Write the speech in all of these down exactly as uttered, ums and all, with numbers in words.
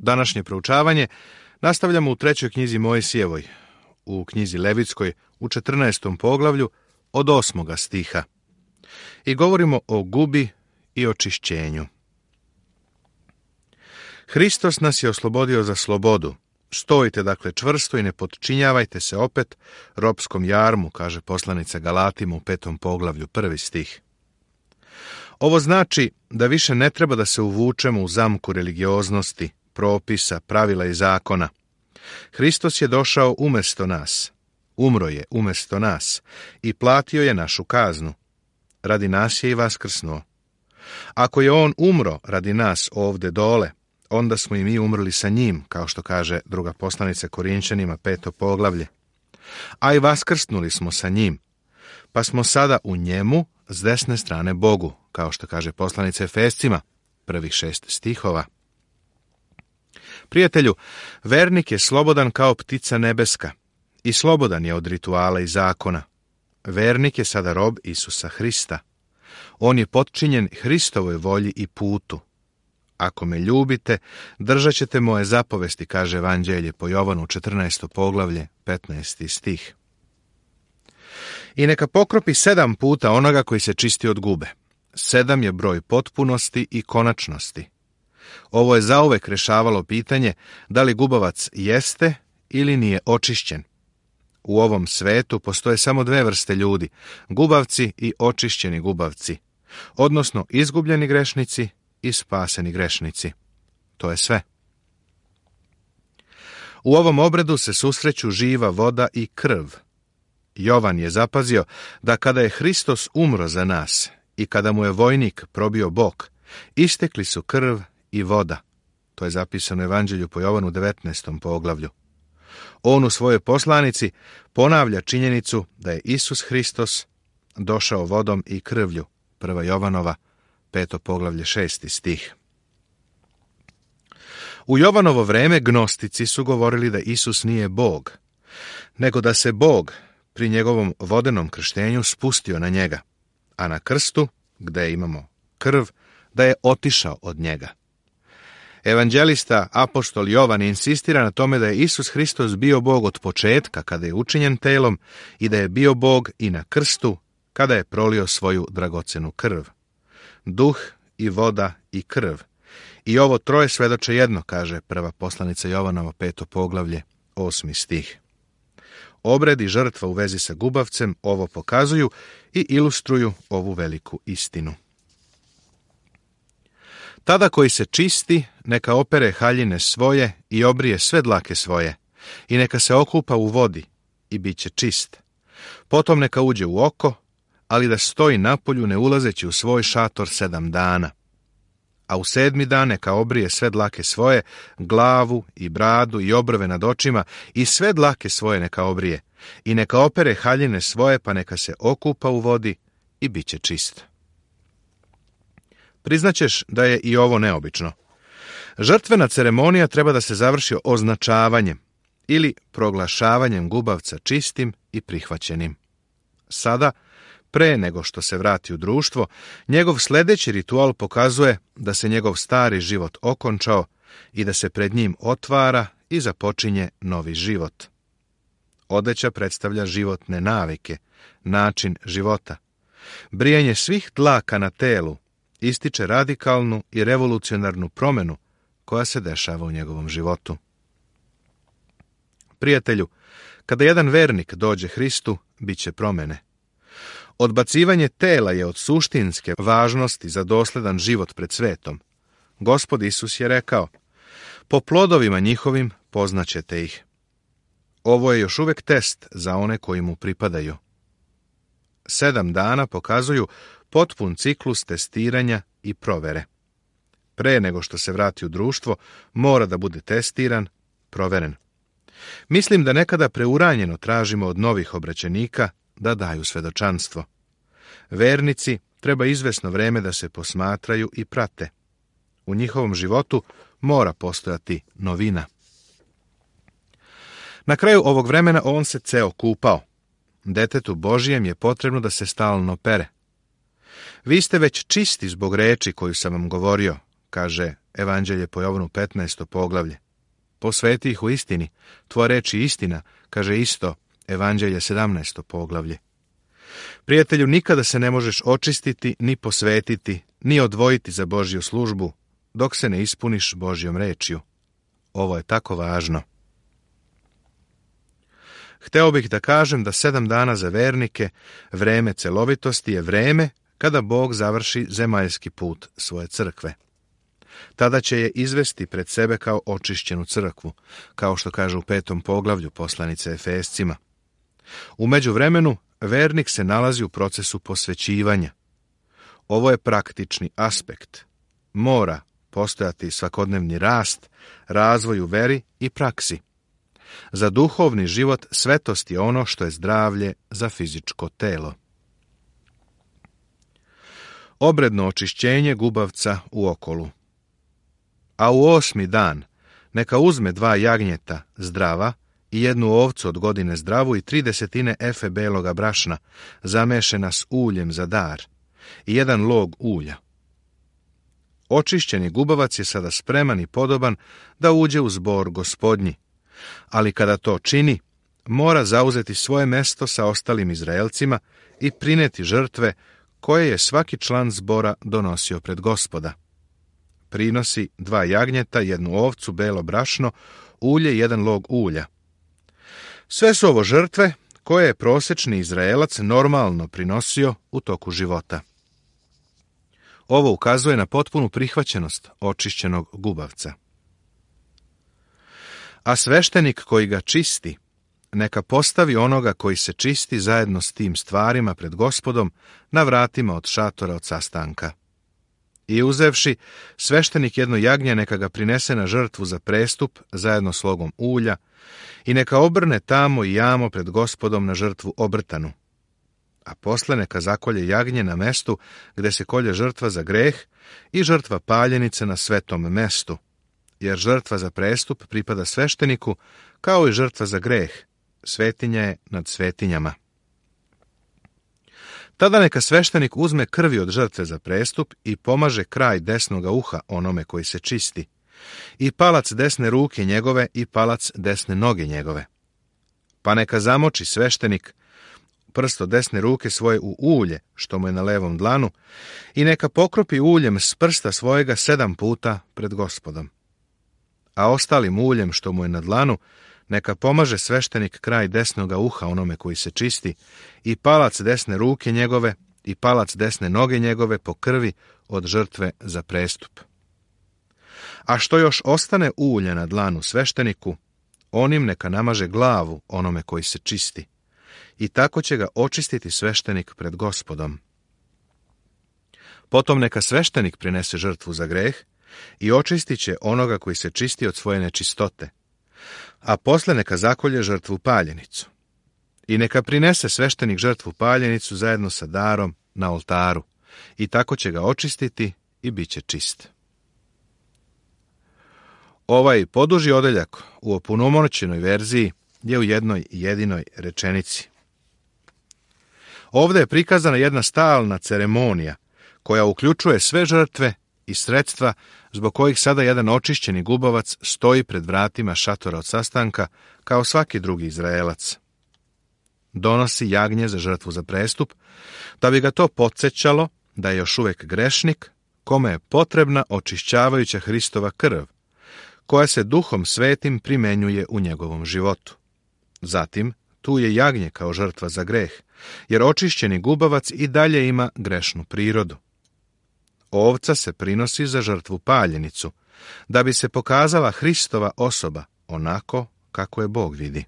Današnje proučavanje nastavljamo u trećoj knjizi Mojsijevoj, u knjizi Levitskoj, u četrnaestom poglavlju, od osmoga stiha. I govorimo o gubi i očišćenju. Hristos nas je oslobodio za slobodu. Stojite dakle čvrsto i ne potčinjavajte se opet ropskom jarmu, kaže poslanica Galatima u petom poglavlju, prvi stih. Ovo znači da više ne treba da se uvučemo u zamku religioznosti, propisa, pravila i zakona. Hristos je došao umjesto nas, umro je umjesto nas i platio je našu kaznu. Radi nas je i vaskrsnuo. Ako je on umro radi nas ovdje dole, onda smo i mi umrli sa njim, kao što kaže druga poslanica Korinčanima, peto poglavlje. A i vaskrsnuli smo sa njim, pa smo sada u njemu s desne strane Bogu, kao što kaže poslanica Efescima, prvih šest stihova. Prijatelju, vernik je slobodan kao ptica nebeska i slobodan je od rituala i zakona. Vernik je sada rob Isusa Hrista. On je potčinjen Hristovoj volji i putu. Ako me ljubite, držat ćete moje zapovesti, kaže Evanđelje po Jovanu, četrnaesto poglavlje, petnaesti stih. I neka pokropi sedam puta onoga koji se čisti od gube. Sedam je broj potpunosti i konačnosti. Ovo je zauvek rešavalo pitanje da li gubavac jeste ili nije očišćen. U ovom svetu postoje samo dve vrste ljudi, gubavci i očišćeni gubavci, odnosno izgubljeni grešnici i spaseni grešnici. To je sve. U ovom obredu se susreću živa voda i krv. Jovan je zapazio da kada je Hristos umro za nas i kada mu je vojnik probio bok, istekli su krv i voda. To je zapisano u Evanđelju po Jovanu devetnaestom poglavlju. On u svojoj poslanici ponavlja činjenicu da je Isus Hristos došao vodom i krvlju. Prva Jovanova, peto poglavlje, šesti stih. U Jovanovo vreme gnostici su govorili da Isus nije Bog, nego da se Bog pri njegovom vodenom krštenju spustio na njega, a na krstu, gde imamo krv, da je otišao od njega. Evanđelista apostol Jovan insistira na tome da je Isus Hristos bio Bog od početka kada je učinjen telom i da je bio Bog i na krstu kada je prolio svoju dragocenu krv. Duh i voda i krv. I ovo troje svedoče jedno, kaže prva poslanica Jovanova, peto poglavlje, osmi stih. Obred i žrtva u vezi sa gubavcem ovo pokazuju i ilustruju ovu veliku istinu. Tada koji se čisti, neka opere haljine svoje i obrije sve dlake svoje, i neka se okupa u vodi i bit će čist. Potom neka uđe u oko, ali da stoji napolju ne ulazeći u svoj šator sedam dana. A u sedmi dan neka obrije sve dlake svoje, glavu i bradu i obrve nad očima i sve dlake svoje neka obrije, i neka opere haljine svoje, pa neka se okupa u vodi i bit će čist. Priznaćeš da je i ovo neobično. Žrtvena ceremonija treba da se završi označavanjem ili proglašavanjem gubavca čistim i prihvaćenim. Sada, pre nego što se vrati u društvo, njegov sljedeći ritual pokazuje da se njegov stari život okončao i da se pred njim otvara i započinje novi život. Odeća predstavlja životne navike, način života. Brijanje svih dlaka na telu ističe radikalnu i revolucionarnu promjenu koja se dešava u njegovom životu. Prijatelju, kada jedan vernik dođe Hristu, bit će promjene. Odbacivanje tela je od suštinske važnosti za dosledan život pred svetom. Gospod Isus je rekao, po plodovima njihovim poznaćete ih. Ovo je još uvijek test za one koji mu pripadaju. Sedam dana pokazuju potpun ciklus testiranja i provere. Pre nego što se vrati u društvo, mora da bude testiran, proveren. Mislim da nekada preuranjeno tražimo od novih obraćenika da daju svedočanstvo. Vernici treba izvesno vreme da se posmatraju i prate. U njihovom životu mora postojati novina. Na kraju ovog vremena on se ceo kupao. Detetu Božijem je potrebno da se stalno pere. Vi ste već čisti zbog reči koju sam vam govorio, kaže Evanđelje po Jovanu petnaesto poglavlje. Posveti ih u istini, tvoja reč je istina, kaže isto Evanđelje sedamnaesto poglavlje. Prijatelju, nikada se ne možeš očistiti, ni posvetiti, ni odvojiti za Božju službu, dok se ne ispuniš Božjom rečju. Ovo je tako važno. Hteo bih da kažem da sedam dana za vernike, vreme celovitosti je vreme kada Bog završi zemaljski put svoje crkve. Tada će je izvesti pred sebe kao očišćenu crkvu, kao što kaže u petom poglavlju poslanice Efescima. U međuvremenu, vernik se nalazi u procesu posvećivanja. Ovo je praktični aspekt. Mora postojati svakodnevni rast, razvoj u veri i praksi. Za duhovni život svetost je ono što je zdravlje za fizičko telo. Obredno očišćenje gubavca u okolu. A u osmi dan neka uzme dva jagnjeta zdrava i jednu ovcu od godine zdravu i tri desetine efe beloga brašna, zamešena s uljem za dar, i jedan log ulja. Očišćeni gubavac je sada spreman i podoban da uđe u zbor gospodnji, ali kada to čini, mora zauzeti svoje mesto sa ostalim Izraelcima i prineti žrtve koje je svaki član zbora donosio pred Gospoda. Prinosi dva jagnjeta, jednu ovcu, belo brašno, ulje i jedan log ulja. Sve su ovo žrtve koje je prosječni Izraelac normalno prinosio u toku života. Ovo ukazuje na potpunu prihvaćenost očišćenog gubavca. A sveštenik koji ga čisti, neka postavi onoga koji se čisti zajedno s tim stvarima pred Gospodom na vratima od šatora od sastanka. I uzevši, sveštenik jedno jagnje neka ga prinese na žrtvu za prestup zajedno s logom ulja i neka obrne tamo i jamo pred Gospodom na žrtvu obrtanu. A posle neka zakolje jagnje na mestu gde se kolje žrtva za greh i žrtva paljenice na svetom mestu, jer žrtva za prestup pripada svešteniku kao i žrtva za greh, svetinja je nad svetinjama. Tada neka sveštenik uzme krvi od žrtve za prestup i pomaže kraj desnoga uha onome koji se čisti, i palac desne ruke njegove i palac desne noge njegove. Pa neka zamoči sveštenik prsto desne ruke svoje u ulje, što mu je na levom dlanu, i neka pokropi uljem s prsta svojega sedam puta pred Gospodom. A ostalim uljem, što mu je na dlanu, neka pomaže sveštenik kraj desnoga uha onome koji se čisti, i palac desne ruke njegove i palac desne noge njegove po krvi od žrtve za prestup. A što još ostane ulja na dlanu svešteniku, onim neka namaže glavu onome koji se čisti, i tako će ga očistiti sveštenik pred Gospodom. Potom neka sveštenik prinese žrtvu za greh i očistit će onoga koji se čisti od svoje nečistote, a posle neka zakolje žrtvu paljenicu. I neka prinese sveštenik žrtvu paljenicu zajedno sa darom na oltaru, i tako će ga očistiti i bit će čist. Ovaj poduži odeljak u opunomoćenoj verziji je u jednoj jedinoj rečenici. Ovdje je prikazana jedna stalna ceremonija koja uključuje sve žrtve i sredstva zbog kojih sada jedan očišćeni gubavac stoji pred vratima šatora od sastanka kao svaki drugi Izraelac. Donosi jagnje za žrtvu za prestup, da bi ga to podsjećalo da je još uvijek grešnik, kome je potrebna očišćavajuća Hristova krv, koja se Duhom Svetim primenjuje u njegovom životu. Zatim, tu je jagnje kao žrtva za greh, jer očišćeni gubavac i dalje ima grešnu prirodu. Ovca se prinosi za žrtvu paljenicu, da bi se pokazala Hristova osoba onako kako je Bog vidi.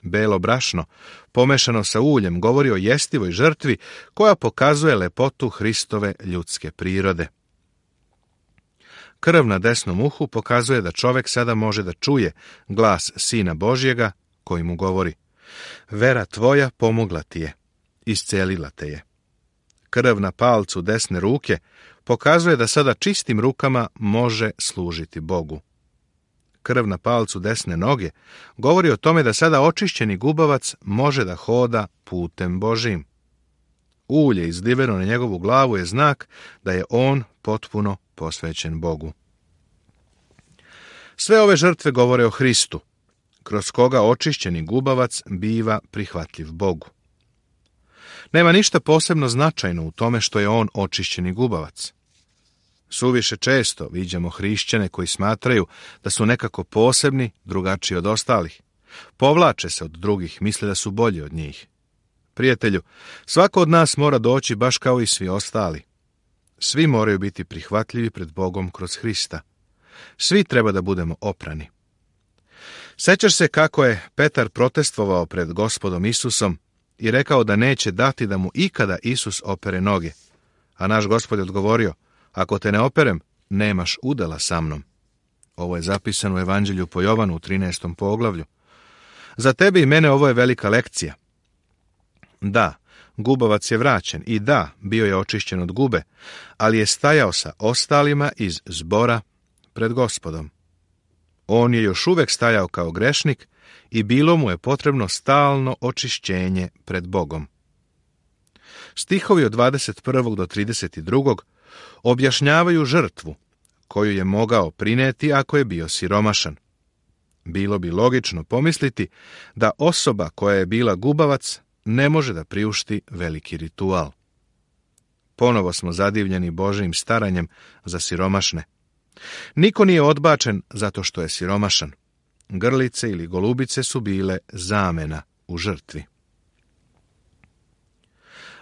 Belo brašno, pomešano sa uljem, govori o jestivoj žrtvi koja pokazuje lepotu Hristove ljudske prirode. Krv na desnom uhu pokazuje da čovjek sada može da čuje glas Sina Božjega koji mu govori: vera tvoja pomogla ti je, iscelila te je. Krv na palcu desne ruke pokazuje da sada čistim rukama može služiti Bogu. Krv na palcu desne noge govori o tome da sada očišćeni gubavac može da hoda putem Božijim. Ulje izliveno na njegovu glavu je znak da je on potpuno posvećen Bogu. Sve ove žrtve govore o Hristu, kroz koga očišćeni gubavac biva prihvatljiv Bogu. Nema ništa posebno značajno u tome što je on očišćeni gubavac. Suviše često viđamo hrišćane koji smatraju da su nekako posebni, drugačiji od ostalih. Povlače se od drugih, misle da su bolji od njih. Prijatelju, svako od nas mora doći baš kao i svi ostali. Svi moraju biti prihvatljivi pred Bogom kroz Hrista. Svi treba da budemo oprani. Sećaš se kako je Petar protestvovao pred Gospodom Isusom i rekao da neće dati da mu ikada Isus opere noge. A naš Gospod je odgovorio, ako te ne operem, nemaš udela sa mnom. Ovo je zapisano u Evanđelju po Jovanu u trinaestom poglavlju. Za tebe i mene ovo je velika lekcija. Da, gubavac je vraćen i da, bio je očišćen od gube, ali je stajao sa ostalima iz zbora pred Gospodom. On je još uvek stajao kao grešnik i bilo mu je potrebno stalno očišćenje pred Bogom. Stihovi od dvadeset prvog do trideset drugog objašnjavaju žrtvu koju je mogao prineti ako je bio siromašan. Bilo bi logično pomisliti da osoba koja je bila gubavac ne može da priušti veliki ritual. Ponovo smo zadivljeni Božijim staranjem za siromašne. Niko nije odbačen zato što je siromašan. Grlice ili golubice su bile zamena u žrtvi.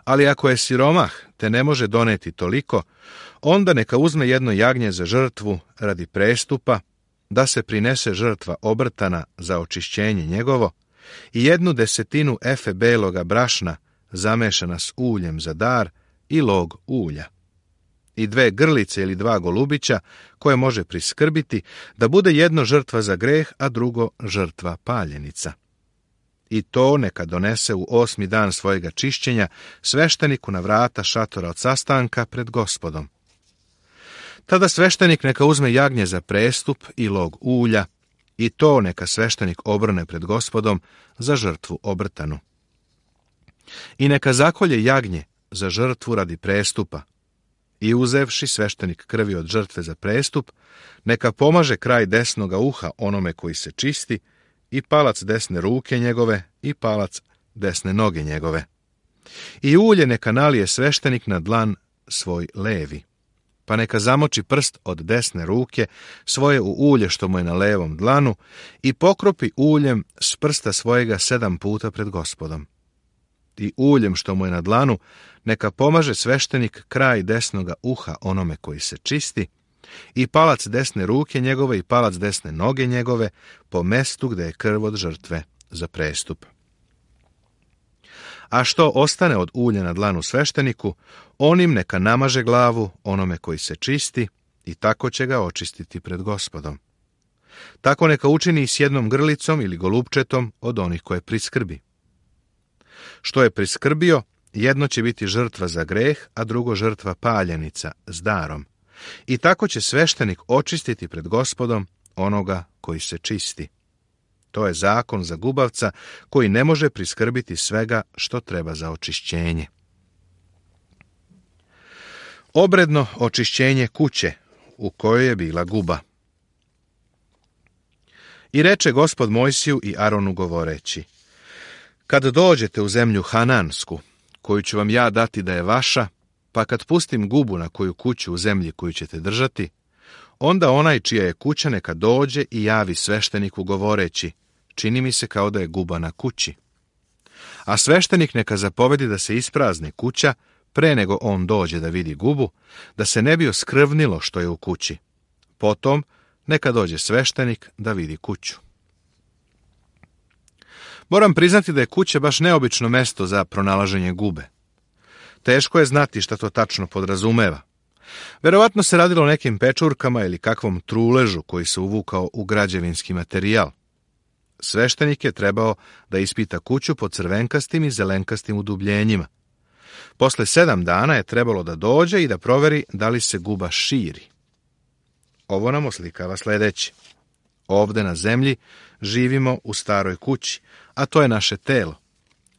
Ali ako je siromah te ne može doneti toliko, onda neka uzme jedno jagnje za žrtvu radi prestupa, da se prinese žrtva obrtana za očišćenje njegovo i jednu desetinu efe beloga brašna zamešana s uljem za dar i log ulja. I dve grlice ili dva golubića koje može priskrbiti da bude jedno žrtva za greh, a drugo žrtva paljenica. I to neka donese u osmi dan svojega čišćenja svešteniku na vrata šatora od sastanka pred Gospodom. Tada sveštenik neka uzme jagnje za prestup i log ulja, i to neka sveštenik obrne pred Gospodom za žrtvu obrtanu. I neka zakolje jagnje za žrtvu radi prestupa, i uzevši sveštenik krvi od žrtve za prestup, neka pomaže kraj desnoga uha onome koji se čisti, i palac desne ruke njegove, i palac desne noge njegove. I ulje neka nalije sveštenik na dlan svoj levi, pa neka zamoči prst od desne ruke svoje u ulje što mu je na levom dlanu i pokropi uljem s prsta svojega sedam puta pred Gospodom. I uljem što mu je na dlanu neka pomaže sveštenik kraj desnoga uha onome koji se čisti, i palac desne ruke njegove i palac desne noge njegove po mestu gde je krv od žrtve za prestup. A što ostane od ulja na dlanu svešteniku, onim neka namaže glavu onome koji se čisti i tako će ga očistiti pred Gospodom. Tako neka učini i s jednom grlicom ili golupčetom od onih koje priskrbi. Što je priskrbio, jedno će biti žrtva za greh, a drugo žrtva paljenica s darom. I tako će sveštenik očistiti pred Gospodom onoga koji se čisti. To je zakon za gubavca koji ne može priskrbiti svega što treba za očišćenje. Obredno očišćenje kuće u kojoj je bila guba. I reče Gospod Mojsiju i Aronu govoreći: kad dođete u zemlju Hanansku, koju ću vam ja dati da je vaša, pa kad pustim gubu na koju kuću u zemlji koju ćete držati, onda onaj čija je kuća neka dođe i javi svešteniku govoreći: čini mi se kao da je guba na kući. A sveštenik neka zapovedi da se isprazni kuća pre nego on dođe da vidi gubu, da se ne bi oskrvnilo što je u kući. Potom neka dođe sveštenik da vidi kuću. Moram priznati da je kuća baš neobično mesto za pronalaženje gube. Teško je znati šta to tačno podrazumeva. Verovatno se radilo o nekim pečurkama ili kakvom truležu koji se uvukao u građevinski materijal. Sveštenik je trebao da ispita kuću po crvenkastim i zelenkastim udubljenjima. Posle sedam dana je trebalo da dođe i da proveri da li se guba širi. Ovo nam oslikava sledeće. Ovde na zemlji živimo u staroj kući, a to je naše telo.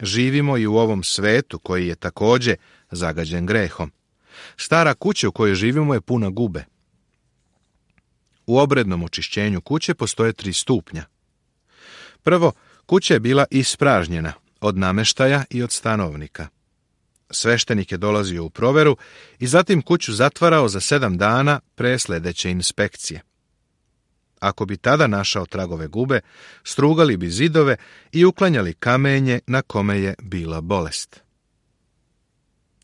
Živimo i u ovom svetu koji je takođe zagađen grehom. Stara kuća u kojoj živimo je puna gube. U obrednom očišćenju kuće postoje tri stupnja. Prvo, kuća je bila ispražnjena od nameštaja i od stanovnika. Sveštenik je dolazio u proveru i zatim kuću zatvarao za sedam dana pre sljedeće inspekcije. Ako bi tada našao tragove gube, strugali bi zidove i uklanjali kamenje na kome je bila bolest.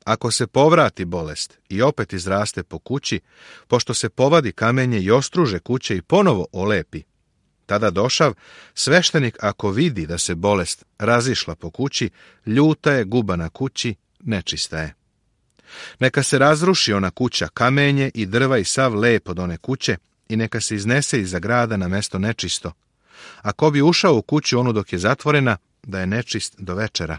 Ako se povrati bolest i opet izraste po kući, pošto se povadi kamenje i ostruže kuće i ponovo olepi, tada došav, sveštenik ako vidi da se bolest razišla po kući, ljuta je guba na kući, nečista je. Neka se razruši ona kuća, kamenje i drva i sav lep od one kuće, i neka se iznese iza grada na mesto nečisto. A ko bi ušao u kuću onu dok je zatvorena, da je nečist do večera.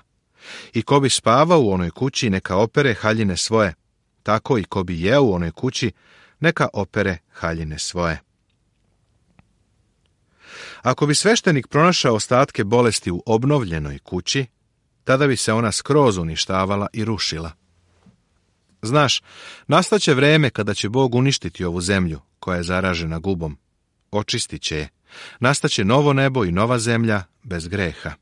I ko bi spavao u onoj kući, neka opere haljine svoje. Tako i ko bi jeo u onoj kući, neka opere haljine svoje. Ako bi sveštenik pronašao ostatke bolesti u obnovljenoj kući, tada bi se ona skroz uništavala i rušila. Znaš, nastaće vreme kada će Bog uništiti ovu zemlju koja je zaražena gubom. Očistit će je. Nastaće novo nebo i nova zemlja bez greha.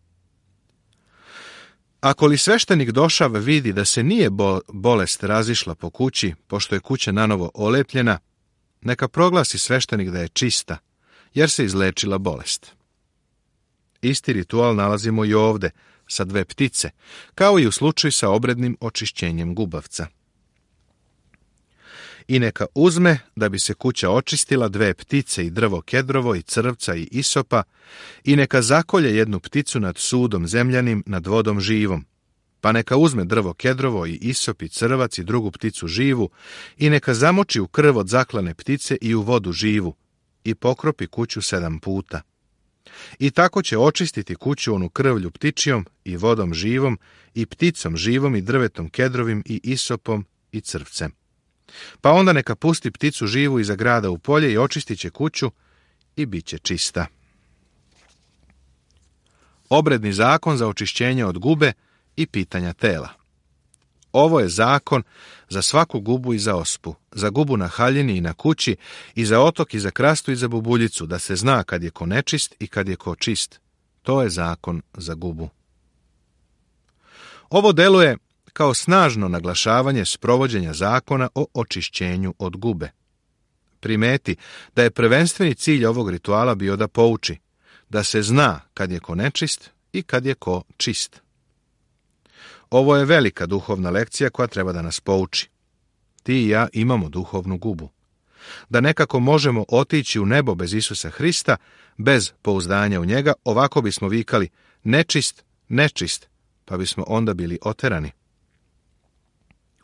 Ako li sveštenik došav vidi da se nije bolest razišla po kući, pošto je kuća nanovo olepljena, neka proglasi sveštenik da je čista, jer se izlečila bolest. Isti ritual nalazimo i ovde, sa dve ptice, kao i u slučaju sa obrednim očišćenjem gubavca. I neka uzme, da bi se kuća očistila, dve ptice i drvo kedrovo i crvca i isopa, i neka zakolje jednu pticu nad sudom zemljanim, nad vodom živom. Pa neka uzme drvo kedrovo i isop i crvac i drugu pticu živu, i neka zamoči u krv od zaklane ptice i u vodu živu, i pokropi kuću sedam puta. I tako će očistiti kuću onu krvlju ptičijom i vodom živom i pticom živom i drvetom kedrovim i isopom i crvcem. Pa onda neka pusti pticu živu iza grada u polje i očistit će kuću i bit će čista. Obredni zakon za očišćenje od gube i pitanja tela. Ovo je zakon za svaku gubu i za ospu, za gubu na haljini i na kući, i za otok i za krastu i za bubuljicu, da se zna kad je ko nečist i kad je ko čist. To je zakon za gubu. Ovo deluje kao snažno naglašavanje sprovođenja zakona o očišćenju od gube. Primeti da je prvenstveni cilj ovog rituala bio da pouči, da se zna kad je ko nečist i kad je ko čist. Ovo je velika duhovna lekcija koja treba da nas pouči. Ti i ja imamo duhovnu gubu. Da nekako možemo otići u nebo bez Isusa Hrista, bez pouzdanja u njega, ovako bismo vikali nečist, nečist, pa bismo onda bili oterani.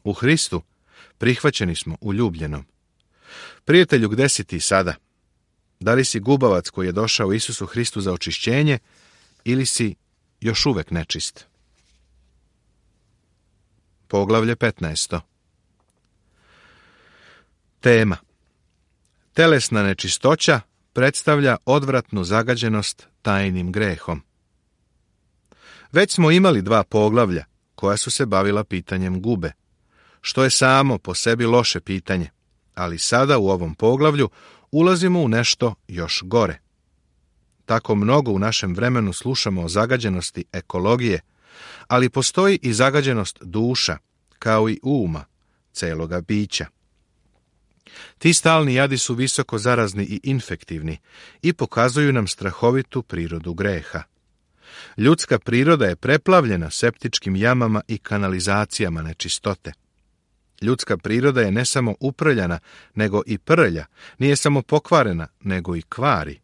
U Hristu prihvaćeni smo u ljubljenom. Prijatelju, gde si ti sada? Da li si gubavac koji je došao Isusu Hristu za očišćenje, ili si još uvek nečist? Poglavlje petnaesto. Tema. Telesna nečistoća predstavlja odvratnu zagađenost tajnim grehom. Već smo imali dva poglavlja koja su se bavila pitanjem gube, što je samo po sebi loše pitanje, ali sada u ovom poglavlju ulazimo u nešto još gore. Tako mnogo u našem vremenu slušamo o zagađenosti ekologije, ali postoji i zagađenost duša, kao i uma, celoga bića. Ti stalni jadi su visoko zarazni i infektivni i pokazuju nam strahovitu prirodu greha. Ljudska priroda je preplavljena septičkim jamama i kanalizacijama nečistote. Ljudska priroda je ne samo uprljana, nego i prlja, nije samo pokvarena, nego i kvari.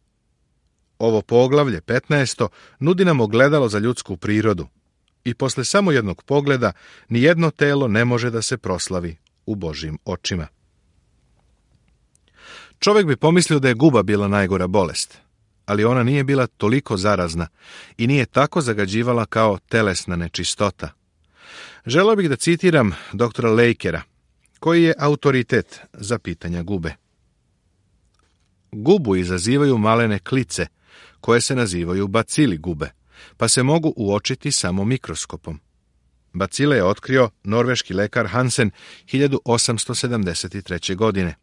Ovo poglavlje petnaesto nudi nam ogledalo za ljudsku prirodu i posle samo jednog pogleda nijedno telo ne može da se proslavi u Božjim očima. Čovjek bi pomislio da je guba bila najgora bolest, ali ona nije bila toliko zarazna i nije tako zagađivala kao telesna nečistota. Želeo bih da citiram doktora Lakera, koji je autoritet za pitanja gube. Gubu izazivaju malene klice, koje se nazivaju bacili gube, pa se mogu uočiti samo mikroskopom. Bacile je otkrio norveški lekar Hansen hiljadu osamsto sedamdeset treće. godine.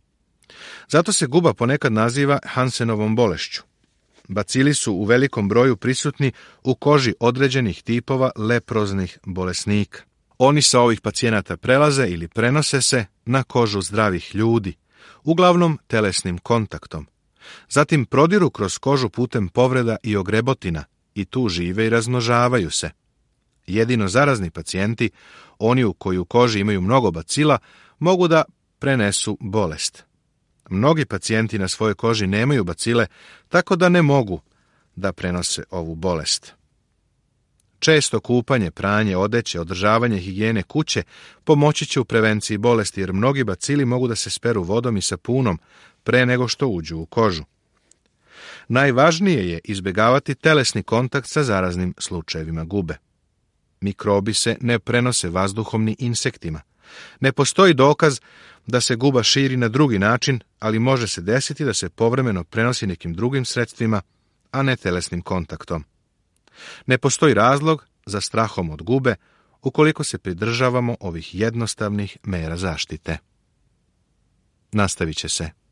Zato se guba ponekad naziva Hansenovom bolešću. Bacili su u velikom broju prisutni u koži određenih tipova leproznih bolesnika. Oni sa ovih pacijenata prelaze ili prenose se na kožu zdravih ljudi, uglavnom telesnim kontaktom. Zatim prodiru kroz kožu putem povreda i ogrebotina i tu žive i razmnožavaju se. Jedino zarazni pacijenti, oni u koji u koži imaju mnogo bacila, mogu da prenesu bolest. Mnogi pacijenti na svojoj koži nemaju bacile, tako da ne mogu da prenose ovu bolest. Često kupanje, pranje odeće, održavanje higijene kuće pomoći će u prevenciji bolesti, jer mnogi bacili mogu da se speru vodom i sapunom pre nego što uđu u kožu. Najvažnije je izbjegavati telesni kontakt sa zaraznim slučajevima gube. Mikrobi se ne prenose vazduhom ni insektima. Ne postoji dokaz da se guba širi na drugi način, ali može se desiti da se povremeno prenosi nekim drugim sredstvima, a ne telesnim kontaktom. Ne postoji razlog za strahom od gube ukoliko se pridržavamo ovih jednostavnih mera zaštite. Nastavit će se.